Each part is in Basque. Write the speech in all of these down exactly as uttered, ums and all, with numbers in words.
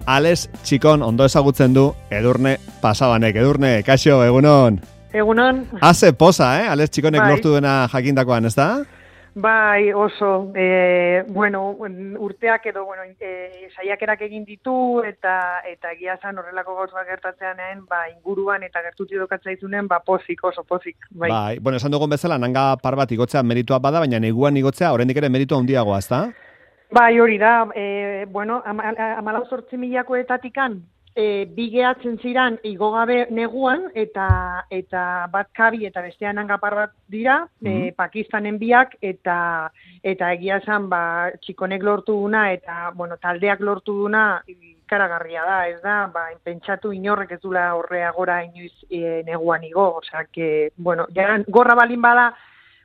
Ales Txikon ondo ezagutzen du Edurne Pasabanek. Edurne, kaixo, egunon. Egunon. Haze poza, eh? Ales Txikonek bai. lortu dena jakindakoan, ez da? Bai, oso. E, bueno, urteak edo, bueno, e, saiakerak egin ditu, eta eta egia esan horrelako gauzak gertatzeanen, ba, inguruan eta gertuti dokatzaizunen, ba, pozik, oso pozik. Bai. Bai, bueno, esan dugun bezala, nanga par bat igotzea meritua bada, baina neguan igotzea, oraindik ere meritua handiagoa, ez da? Bai, hori da, e, bueno, amalau zortzi milakoetatikan, e, bi gehatzen ziran igogabe neguan, eta eta bat kabi eta bestean hangapar bat dira, mm-hmm. e, Pakistanen biak, eta eta egia esan, ba, Txikonek lortu duna, eta, bueno, taldeak lortu duna, ikaragarria da, ez da, ba, pentsatu inorrek ez dula horreagora inoiz e, neguan igo, osea, que, bueno, ja, gorra balin bada,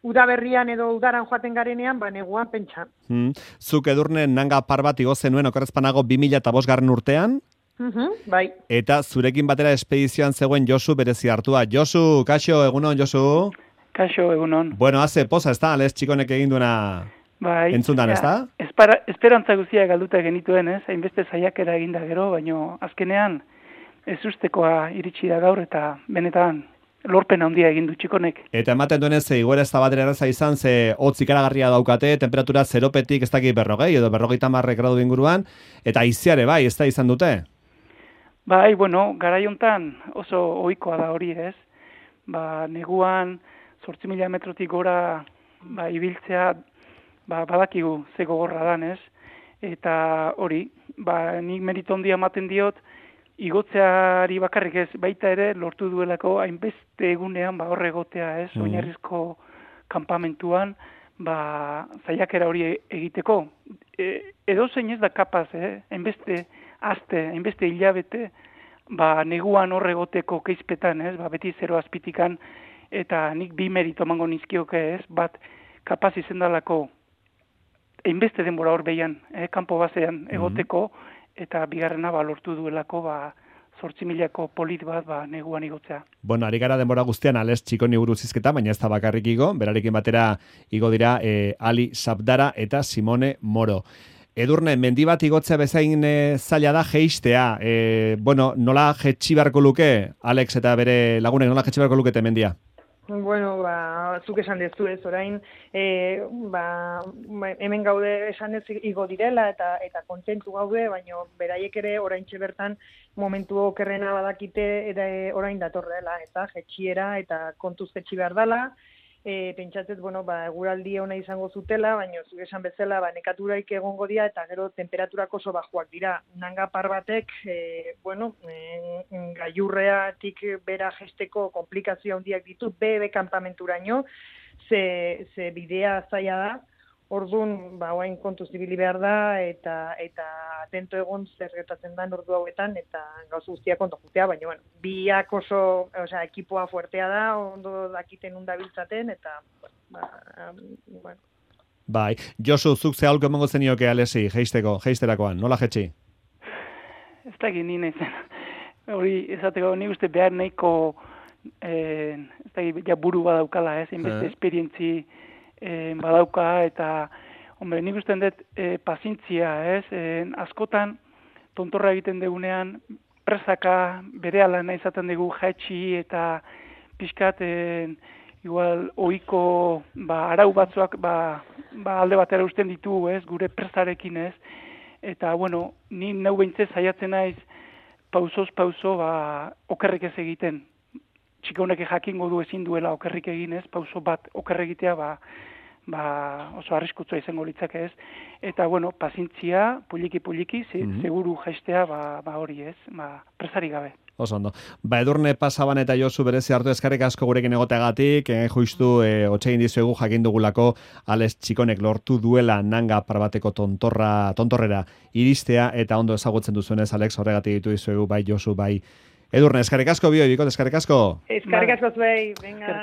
udaberrian edo udaran joaten garenean, ba, neguan pentsa. Hmm. Zuk Edurne nanga par bat igo zenuen okerrezpanago bi mila bost garren urtean, uh-huh, bai. Eta zurekin batera espedizioan zegoen Josu berezi hartua. Josu, kaixo, egunon, Josu? Kaixo, egunon. Bueno, haze poza, ez da, Ales Txikonek egin duena bai, entzundan, ez da? Espera, esperantza guztiak galduta genituen, ez? Hainbeste saiakera eginda gero, baino azkenean ez ustekoa iritsi da gaur, eta benetan lorpen handia egin du Txikonek. Eta ematen duenez, ze igoera ez da batera erraza izan, ze hotz ikaragarria daukate, temperatura zeropetik ez dakit berrogei, edo berrogeita marrek gradu inguruan, eta aiziare bai, ez da izan dute? Bai, bueno, garaiontan oso ohikoa da hori, ez? Ba, neguan zortzi mila metrotik gora ba, ibiltzea ba, badakigu ze gogorra dan, ez? Eta hori, ba, nik merito handia ematen diot, igotzeari bakarrik ez, baita ere lortu duelako hainbeste egunean ba, horre egotea, ez? Mm. Oinarrizko kanpamentuan, ba, zaiakera hori egiteko. E, edo zein ez da kapaz, eh? Hainbeste aste, hainbeste hilabete, ba, neguan horre egoteko keizpetan, ez? Ba, beti zero azpitikan, eta nik bi merito emango nizkioke, ez? Bat, kapaz izendalako hainbeste denbora hor behian, eh? Kanpo basean egoteko, eta bigarrena ba, lortu duelako, ba, zortzi milako polit bat, ba, neguan igotzea. Bueno, ari gara denbora guztian Ales Txikoni buruz hizketa, baina ez da bakarrik igo, berarekin batera igo dira eh, Ali Sabdara eta Simone Moro. Edurne, mendi bat igotzea bezain e, zaila da jeistea. E, bueno, nola jetxi beharko luke, Alex eta bere lagunek, nola jetxi beharko lukete mendia? Bueno, ba, zuk esan dezu ez, orain, e, ba, hemen gaude esan ez igo direla eta eta kontentu gaude, baina beraiek ere oraintxe bertan momentu okerrena badakite eta orain datorrela, eta jetxiera eta kontuz jetxi behar dela. E, pentsatzez, bueno, ba, eguraldi ona izango zutela, baina zuk esan bezala, ba, nekaturaik egongo dira, eta gero temperaturak oso bajuak dira. Nanga par batek, e, bueno, e, gailurreatik bera jesteko komplikazio handiak ditu, bebe kanpamenturaino, ze, ze bidea zaila da, orduan, ba, oain kontuz ibili behar da, eta eta atento egon zer gertatzen da ordu hauetan, eta gauz guztiak ondo jutea, baina, bueno, biak oso, osea, ekipoa fuertea da, ondo dakiten undabiltzaten, eta, ba, bueno. Bai, Josu, zuk ze aholko emango zenioke Alesi, jeisteko, jeisterakoan, nola jetxi? Ez da egin nina izan. Hori, ezateko, nik uste behar nahiko, eh, ez da ja buru badaukala, ez, inbeste eh. esperientzi, E, badauka, eta hombre, nik usten dut e, pazintzia, ez? E, askotan tontorra egiten degunean presaka berehala nahi izaten dugu jaitsi eta pixkat e, igual ohiko ba, arau batzuak ba, ba, alde batera usten ditu, ez? Gure presarekin, ez? Eta, bueno, ni neu behintzez saiatzen naiz pausoz pauso ba, okerrik ez egiten. Txika honek jakingo du ezin duela okerrik egin, ez? Pauso bat okerrik egitea, ba, ba, oso arriskutsua izango litzake, ez? Eta, bueno, pazintzia, puliki-puliki, mm-hmm. seguru jaistea, ba, ba hori, ez? Ba, presari gabe. Oso ondo. Ba, Edurne Pasaban eta Josu berezi hartu eskarrik asko gurekin egoteagatik, eh, justu eh, otxegin dizuegu jakin dugulako Ales Txikonek lortu duela nanga parbateko tontorra, tontorrera iristea, eta ondo ezagutzen duzuenez, Alex, horregatik ditu dizuegu, bai Josu, bai Edurne, eskarrik asko, bioi, bikot, eskarrik asko. Eskarrik asko zuei, venga.